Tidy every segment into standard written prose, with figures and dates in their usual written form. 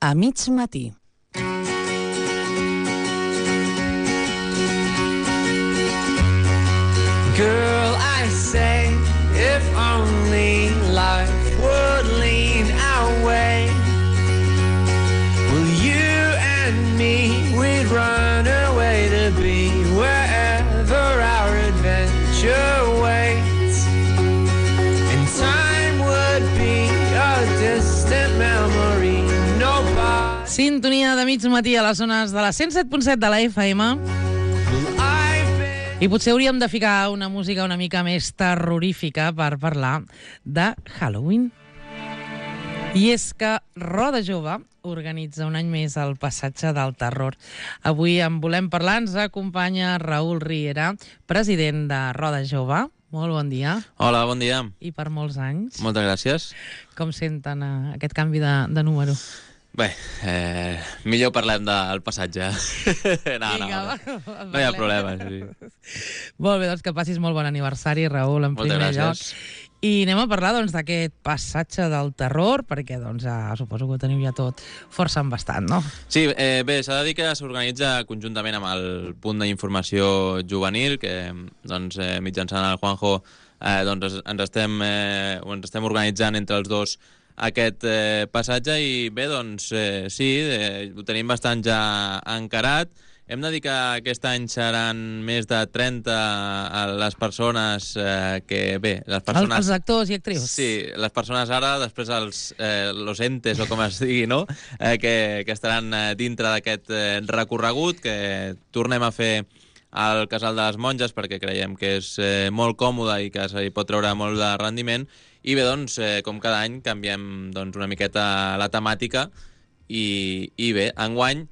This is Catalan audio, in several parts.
a mig matí. Girl, I say, if only life would lean our way, well, you and me, we'd run away to be wherever our adventure waits, and time would be a distant memory. Nobody... Sintonia de mig matí a les zones de la 107.7 de la FM. I potser hauríem de ficar una música una mica més terrorífica per parlar de Halloween. I és que Roda Jove organitza un any més el Passatge del Terror. Avui en volem parlar, ens acompanya Raül Riera, president de Roda Jove. Molt bon dia. Hola, bon dia. I per molts anys. Moltes gràcies. Com senten aquest canvi de número? Bé, millor parlem del passatge. No hi ha problema. Sí. Molt bé, doncs que passis molt bon aniversari, Raül, en primer lloc. I anem a parlar d'aquest Passatge del Terror, perquè suposo que ho teniu ja tot força embastat, no? Sí, bé, s'ha de dir que s'organitza conjuntament amb el punt d'informació juvenil, que mitjançant el Juanjo ens estem organitzant entre els dos aquest passatge i bé, sí, ho tenim bastant ja encarat. Hem de dir que aquest any seran més de 30 les persones que... Bé, les persones... Els actors i actrius. Sí, les persones ara, després los entes, o com es digui, no? Que estaran dintre d'aquest recorregut, que tornem a fer al Casal de les Monges, perquè creiem que és molt còmode i que se hi pot treure molt de rendiment. I bé, com cada any, canviem una miqueta la temàtica i bé, enguany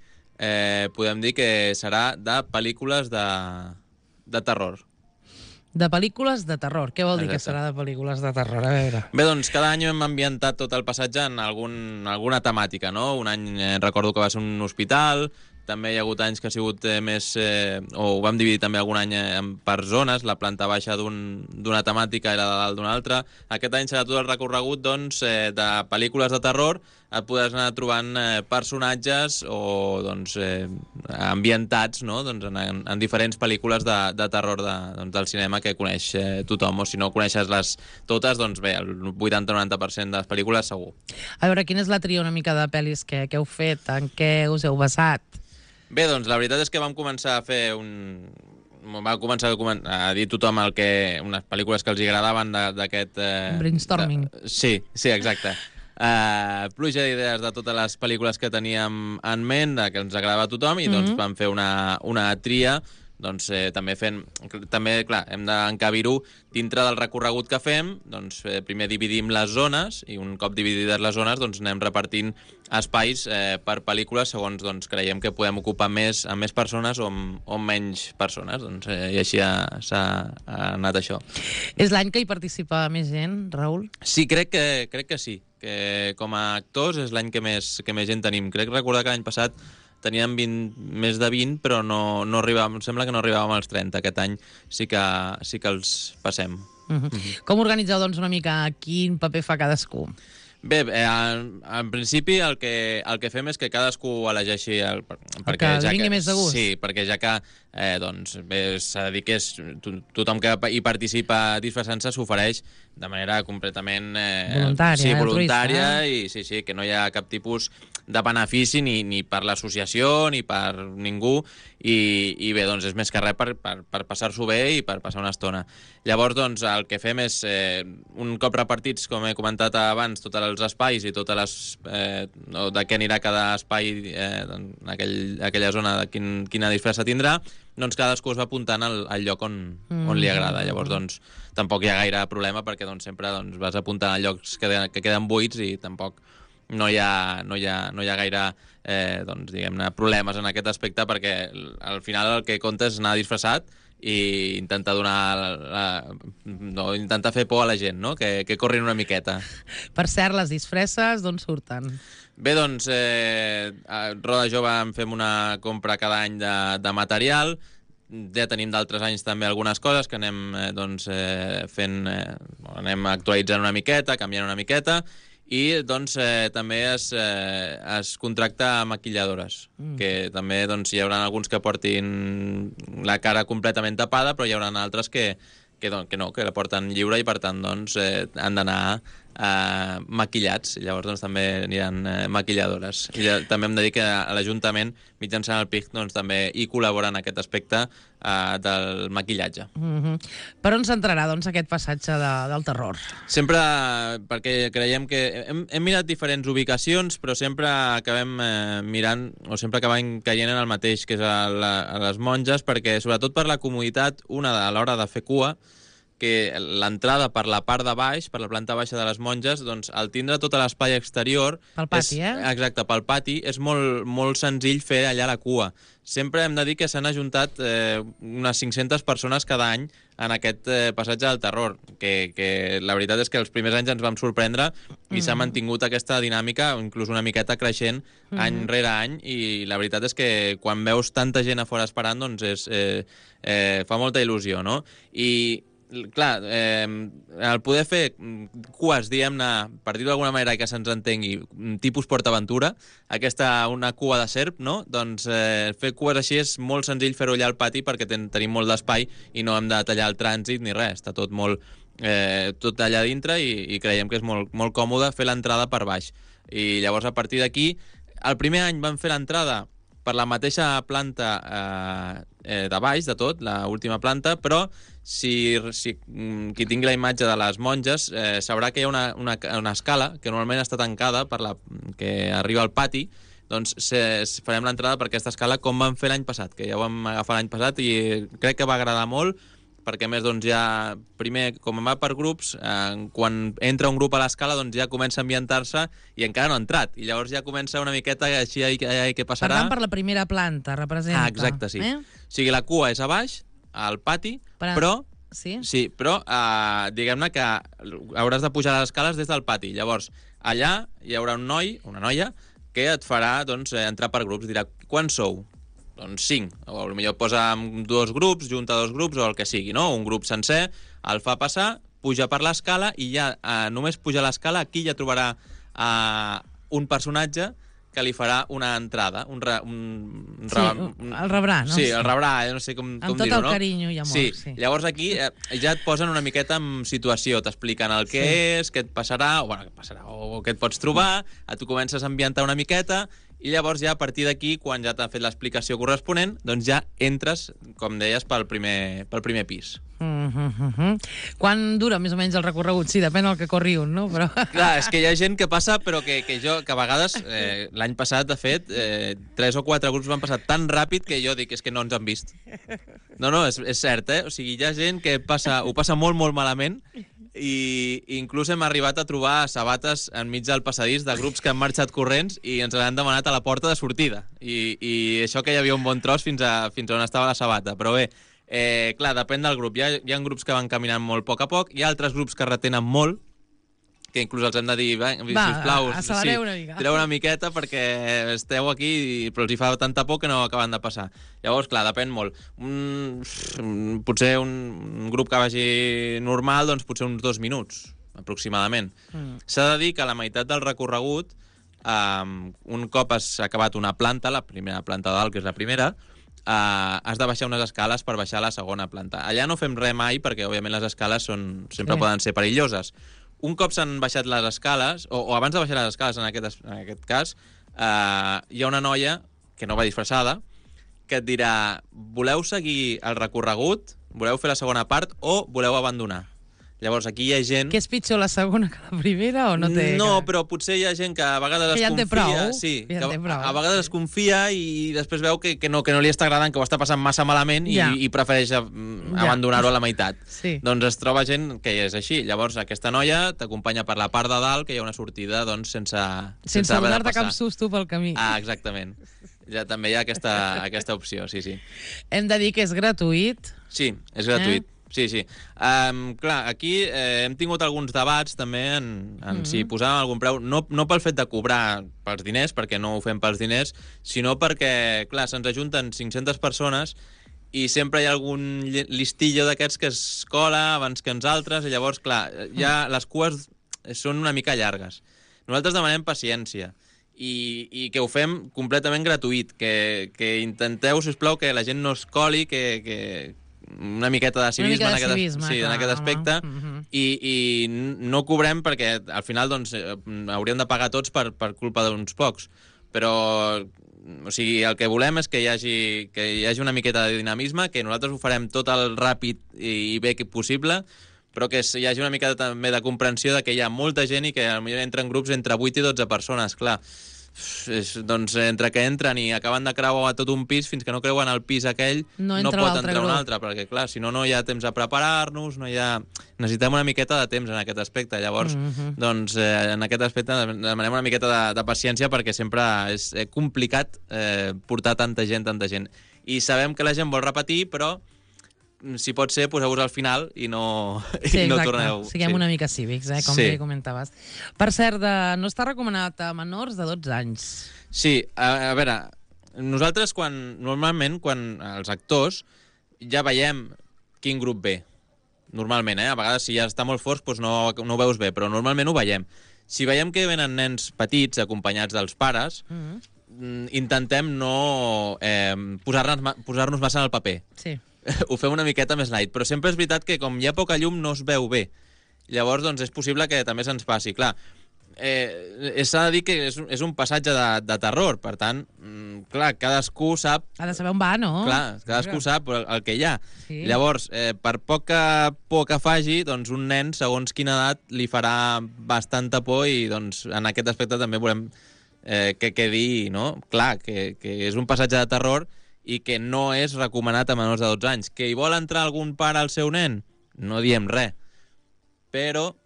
podem dir que serà de pel·lícules de terror. De pel·lícules de terror. Què vol dir que serà de pel·lícules de terror? A veure. Bé, cada any hem ambientat tot el passatge en alguna temàtica, no? Un any recordo que va ser un hospital, també hi ha hagut anys que ha sigut més... o ho vam dividir també algun any per zones, la planta baixa d'una temàtica i la de dalt d'una altra. Aquest any serà tot el recorregut de pel·lícules de terror, et podràs anar trobant personatges o ambientats, no? En diferents pel·lícules de terror del cinema que coneix tothom, o si no coneixes totes, bé, el 80-90% de les pel·lícules segur. A veure, quina és la tria una mica de pel·lis que heu fet? En què us heu basat? Bé, la veritat és que vam començar a fer va començar a dir tothom unes pel·lícules que els agradaven d'aquest... brainstorming. Sí, exacte. Pluja d'idees de totes les pel·lícules que teníem en ment, que ens agradava a tothom, i vam fer una tria, també, clar, hem d'encabir-ho dintre del recorregut que fem. Primer dividim les zones i un cop dividides les zones anem repartint espais per pel·lícules segons creiem que podem ocupar amb més persones o amb menys persones, i així s'ha anat això. És l'any que hi participa més gent, Raül? Sí, crec que sí, que com a actors és l'any que més gent tenim. Crec recordar que l'any passat teníem més de 20, però no arribàvem, em sembla que no arribàvem als 30. Aquest any sí que els passem. Com organitzeu, una mica quin paper fa cadascú? Bé, en principi el que fem és que cadascú elegeixi perquè ja vingui més de gust. Sí, perquè ja que s'ha de dir que tothom que hi participa disfressant-se s'ofereix de manera completament voluntària i sí, que no hi ha cap tipus de benefici ni per l'associació ni per ningú i bé, és més que res per passar-s'ho bé i per passar una estona. Llavors, el que fem és, un cop repartits, com he comentat abans, tots els espais i totes les... de què anirà cada espai en aquella zona, de quina disfressa tindrà, cadascú es va apuntant al lloc on li agrada. Llavors, tampoc hi ha gaire problema perquè sempre vas apuntant a llocs que queden buits i tampoc no hi ha gaire diguem-ne problemes en aquest aspecte, perquè al final el que compta és anar disfressat i intentar intentar fer por a la gent, no? Que corrin una miqueta. Per cert, les disfresses d'on surten? Bé, a Roda Jove en fem una compra cada any de material. Ja tenim d'altres anys també algunes coses que anem fent, anem actualitzant una miqueta, canviant una miqueta, I doncs també es contracta maquilladores, que també doncs, hi haurà alguns que portin la cara completament tapada, però hi haurà altres que no, que la porten lliure i per tant doncs, han d'anar maquillats. Llavors doncs, també aniran maquilladores. I també hem de dir que a l'Ajuntament, mitjançant el PIC, doncs, també hi col·labora en aquest aspecte del maquillatge. Per on s'entrarà doncs, aquest passatge del terror? Sempre, perquè creiem que hem mirat diferents ubicacions, però sempre acabem mirant, o sempre acabem caient en el mateix, que és a les Monges, perquè sobretot per la comoditat, una a l'hora de fer cua, que l'entrada per la part de baix, per la planta baixa de les Monges, doncs, al tindre tot l'espai exterior... Pel pati, Exacte, pel pati, és molt, molt senzill fer allà la cua. Sempre hem de dir que s'han ajuntat unes 500 persones cada any en aquest passatge del terror, que la veritat és que els primers anys ens vam sorprendre i s'ha mantingut aquesta dinàmica, inclús una miqueta creixent any rere any, i la veritat és que quan veus tanta gent a fora esperant, doncs fa molta il·lusió, no? I clar, el poder fer cues, diguem-ne, per dir-ho d'alguna manera que se'ns entengui, tipus PortAventura, una cua de serp, no? Doncs fer cues així és molt senzill fer-ho allà al pati perquè tenim molt d'espai i no hem de tallar el trànsit ni res, està tot molt tot allà dintre i creiem que és molt, molt còmode fer l'entrada per baix. I llavors a partir d'aquí, el primer any vam fer l'entrada per la mateixa planta de baix, de tot, l'última planta, però si qui tingui la imatge de les Monges sabrà que hi ha una escala que normalment està tancada que arriba al pati, doncs farem l'entrada per aquesta escala com vam fer l'any passat, que ja ho vam agafar l'any passat i crec que va agradar molt, perquè a més doncs, ja primer, com va per grups, quan entra un grup a l'escala doncs ja comença a ambientar-se i encara no ha entrat, i llavors ja comença una miqueta així què passarà. Per tant, per la primera planta, representa. Exacte, sí. O sigui, la cua és a baix, al pati, però... Sí, però diguem-ne que hauràs de pujar les escales des del pati. Llavors, allà hi haurà un noi, una noia, que et farà doncs, entrar per grups. Dirà, quants sou? Doncs 5. O potser posa 2 grups, junta 2 grups o el que sigui, no? Un grup sencer, el fa passar, puja per l'escala i ja només puja l'escala, aquí ja trobarà un personatge que li farà una entrada, el rebrà, no? Sí, el rebrà, no sé com dir-ho, no? Amb tot el carinyo i amor, sí. Llavors aquí ja et posen una miqueta en situació, t'expliquen el que és, què et passarà, o què et pots trobar, tu comences a ambientar una miqueta, i llavors ja a partir d'aquí, quan ja t'ha fet l'explicació corresponent, doncs ja entres, com deies, pel primer pis. Quan dura més o menys el recorregut? Sí, depèn del que corri un, no? Però... Clar, és que hi ha gent que passa, però que a vegades, l'any passat, de fet, 3 o 4 grups van passar tan ràpid que jo dic, és que no ens han vist. No, és cert, O sigui, hi ha gent que ho passa molt, molt malament, i inclús hem arribat a trobar sabates enmig del passadís de grups que han marxat corrents i ens l'han demanat a la porta de sortida. I això que hi havia un bon tros fins on estava la sabata. Però bé, clar, depèn del grup. Hi ha grups que van caminant molt a poc, hi ha altres grups que retenen molt, que inclús els hem de dir, sisplau, tireu una miqueta perquè esteu aquí, però els hi fa tanta por que no acaben de passar. Llavors, clar, depèn molt. Potser un grup que vagi normal, doncs potser uns 2 minuts, aproximadament. S'ha de dir que a la meitat del recorregut, un cop has acabat una planta, la primera planta de dalt, que és la primera, has de baixar unes escales per baixar a la segona planta. Allà no fem res mai perquè, òbviament, les escales sempre poden ser perilloses. Un cop s'han baixat les escales, o abans de baixar les escales, en aquest cas, hi ha una noia, que no va disfressada, que et dirà, voleu seguir el recorregut, voleu fer la segona part, o voleu abandonar? Llavors, aquí hi ha gent... Que és pitjor la segona que la primera o no té... No, però potser hi ha gent que a vegades es confia... Que ja en té prou. Sí, a vegades es confia i després veu que no li està agradant, que ho està passant massa malament i prefereix abandonar-ho a la meitat. Sí. Doncs es troba gent que és així. Llavors, aquesta noia t'acompanya per la part de dalt, que hi ha una sortida doncs, sense donar-te cap susto pel camí. Exactament. Ja també hi ha aquesta opció, sí. Hem de dir que és gratuït. Sí, és gratuït. Sí. Clar, aquí hem tingut alguns debats també en si posàvem algun preu, no pel fet de cobrar pels diners, perquè no ho fem pels diners, sinó perquè, clar, se'ns ajunten 500 persones i sempre hi ha algun listillo d'aquests que es cola abans que ens altres, i llavors, clar, ja les cues són una mica llargues. Nosaltres demanem paciència i que ho fem completament gratuït, que intenteu, sisplau, que la gent no es coli, que una miqueta de civisme, en aquest aspecte, i no cobrem perquè al final doncs, hauríem de pagar tots per culpa d'uns pocs. Però o sigui, el que volem és que hi hagi una miqueta de dinamisme, que nosaltres ho farem tot el ràpid i bé possible, però que hi hagi una mica també de comprensió de que hi ha molta gent i que potser entren grups entre 8 i 12 persones, clar. Doncs entre que entren i acaben de creuar tot un pis, fins que no creuen el pis aquell, no pot entrar un altre, perquè clar, si no, no hi ha temps a preparar-nos, necessitem una miqueta de temps en aquest aspecte. Llavors, doncs, en aquest aspecte demanem una miqueta de paciència, perquè sempre és complicat portar tanta gent. I sabem que la gent vol repetir, però si pot ser, poseu-vos al final i no torneu. Siguem una mica cívics, com bé comentaves. Per cert, no està recomanat a menors de 12 anys. Sí, a veure, nosaltres normalment, quan els actors ja veiem quin grup ve. Normalment, a vegades si ja està molt fort doncs no ho veus bé, però normalment ho veiem. Si veiem que venen nens petits acompanyats dels pares, intentem no posar-nos massa en el paper. Sí. Ho fem una miqueta més light, però sempre és veritat que com hi ha poca llum no es veu bé. Llavors, doncs, és possible que també se'ns passi. Clar, s'ha de dir que és un passatge de terror, per tant, clar, cadascú sap... Ha de saber on va, no? Clar, cadascú sap el que hi ha. Sí. Llavors, per poca por que faci, doncs un nen, segons quina edat, li farà bastanta por i doncs, en aquest aspecte també volem que quedi, no? Clar, que és un passatge de terror i que no és recomanat a menors de 12 anys. Que hi vol entrar algun pare al seu nen? No diem res. Però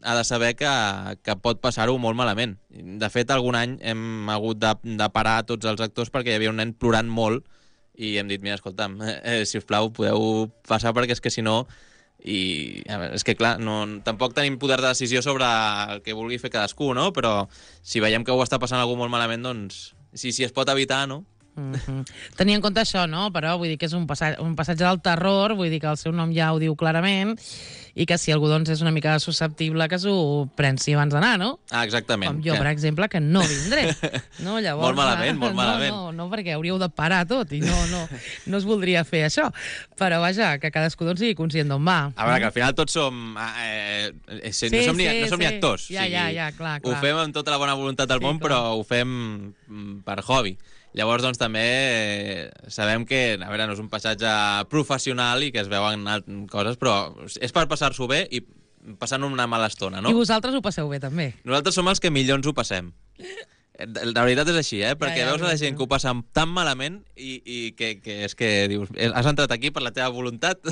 ha de saber que pot passar-ho molt malament. De fet, algun any hem hagut de parar tots els actors perquè hi havia un nen plorant molt i hem dit, mira, escolta'm, si us plau, podeu passar perquè és que si no... I a veure, és que clar, tampoc tenim poder de decisió sobre el que vulgui fer cadascú, no? Però si veiem que ho està passant algú molt malament, doncs si es pot evitar, no? Tenir en compte això, no? Però vull dir que és un passatge del terror, vull dir que el seu nom ja ho diu clarament, i que si algú doncs és una mica susceptible que s'ho prensi abans d'anar, no? Ah, exactament. Com jo, per exemple, que no vindré. No, llavors, molt malament. No, perquè hauríeu de parar tot i no es voldria fer això. Però vaja, que cadascú doncs sigui conscient d'on va. A veure, que al final tots som... no som ni actors. Ja, clar. Ho fem amb tota la bona voluntat del món, però ho fem per hobby. Llavors, doncs, també sabem que, a veure, no és un passatge professional i que es veuen coses, però és per passar-s'ho bé i passant una mala estona, no? I vosaltres ho passeu bé, també. Nosaltres som els que millor ens ho passem. La veritat és així, perquè veus la gent que ho passa tan malament i que és que dius, has entrat aquí per la teva voluntat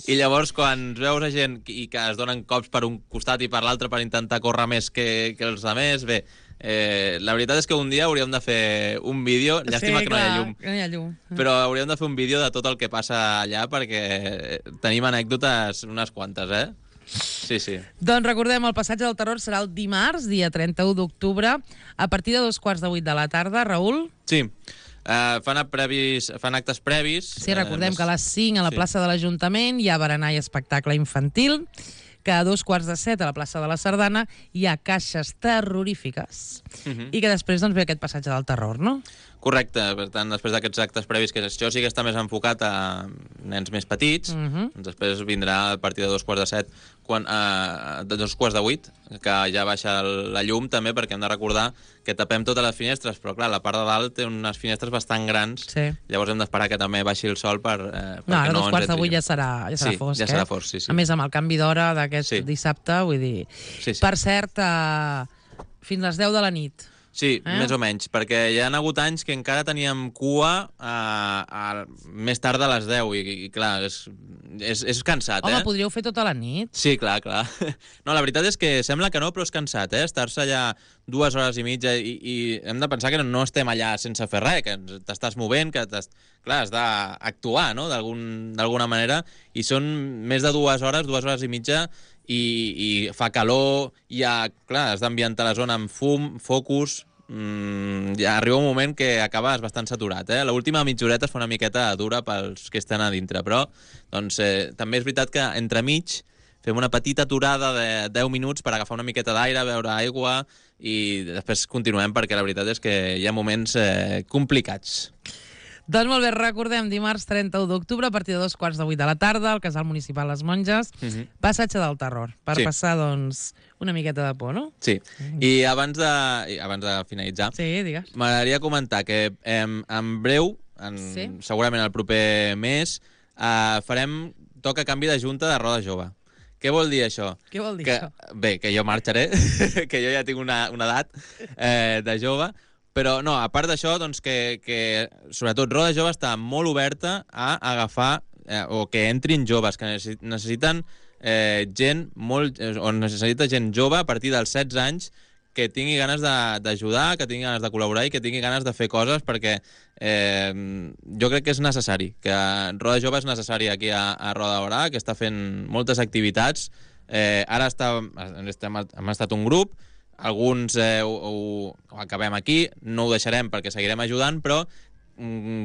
i llavors quan veus a gent i que es donen cops per un costat i per l'altre per intentar córrer més que els altres, bé, la veritat és que un dia hauríem de fer un vídeo, llàstima que no hi ha llum, però hauríem de fer un vídeo de tot el que passa allà perquè tenim anècdotes unes quantes, Sí. Doncs recordem, el passatge del terror serà el dimarts, dia 31 d'octubre, a partir de 2:15 de la tarda. Raül? Sí. Fan actes previs. Sí, recordem que a les 5 a la plaça de l'Ajuntament hi ha berenar i espectacle infantil, que a 2:45 a la plaça de la Sardana hi ha caixes terrorífiques i que després doncs, ve aquest passatge del terror, no? Correcte, per tant, després d'aquests actes previs, que això sí que està més enfocat a nens més petits, doncs després vindrà a partir de 2:15, de 2:08, que ja baixa la llum també, perquè hem de recordar que tapem totes les finestres, però clar, la part de dalt té unes finestres bastant grans, llavors hem d'esperar que també baixi el sol perquè no ens entri. No, a 2:15 ja serà fosc, ja serà fosc, sí. A més, amb el canvi d'hora d'aquest dissabte, vull dir... Per cert, fins les 10 de la nit. Sí, més o menys, perquè hi ha hagut anys que encara teníem cua més tard de les 10 i clar, és cansat, Home, podríeu fer tota la nit? Sí, clar. No, la veritat és que sembla que no, però és cansat, estar-se allà 2 hores i mitja i hem de pensar que no estem allà sense fer res, que t'estàs movent, que clar, has d'actuar, no?, d'alguna manera, i són més de 2 hores i mitja, i fa calor, clar, has d'ambientar la zona amb fum, focus, ja arriba un moment que acabes bastant saturat, L'última mitja horeta es fa una miqueta dura pels que estan a dintre, però doncs, també és veritat que entremig fem una petita aturada de 10 minuts per agafar una miqueta d'aire, beure aigua i després continuem perquè la veritat és que hi ha moments complicats. Doncs molt bé, recordem, dimarts 31 d'octubre, a partir de 2:15 de la tarda, al Casal Municipal Les Monges, Passatge del Terror, per passar, doncs, una miqueta de por, no? Sí, i abans de finalitzar, digues, m'agradaria comentar que en breu, segurament el proper mes, farem toca canvi de junta de Roda Jove. Què vol dir això? Què vol dir això? Bé, que jo marxaré, que jo ja tinc una edat de jove, però no, a part d'això, doncs que sobretot Roda Jove està molt oberta a agafar o que entrin joves, que necessiten necessita gent jove a partir dels 16 anys que tingui ganes d'ajudar, que tingui ganes de col·laborar i que tingui ganes de fer coses, perquè jo crec que és necessari, que Roda Jove és necessari aquí a Roda de Berà, que està fent moltes activitats. Ara hem estat un grup, alguns ho acabem aquí, no ho deixarem perquè seguirem ajudant, però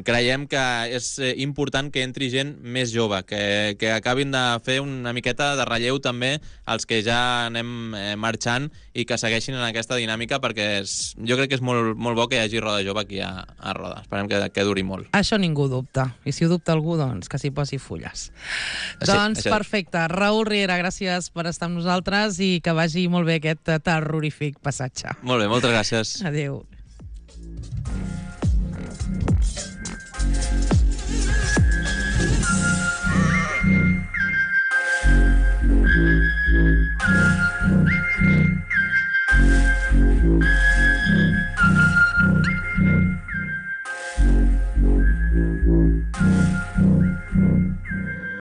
creiem que és important que entri gent més jove, que acabin de fer una miqueta de relleu també als que ja anem marxant i que segueixin en aquesta dinàmica, perquè jo crec que és molt, molt bo que hi hagi Roda Jove aquí a Roda. Esperem que duri molt. Això ningú dubta. I si ho dubta algú, doncs que s'hi posi fulles. Doncs perfecte. Raül Riera, gràcies per estar amb nosaltres i que vagi molt bé aquest terrorífic passatge. Molt bé, moltes gràcies. Adéu.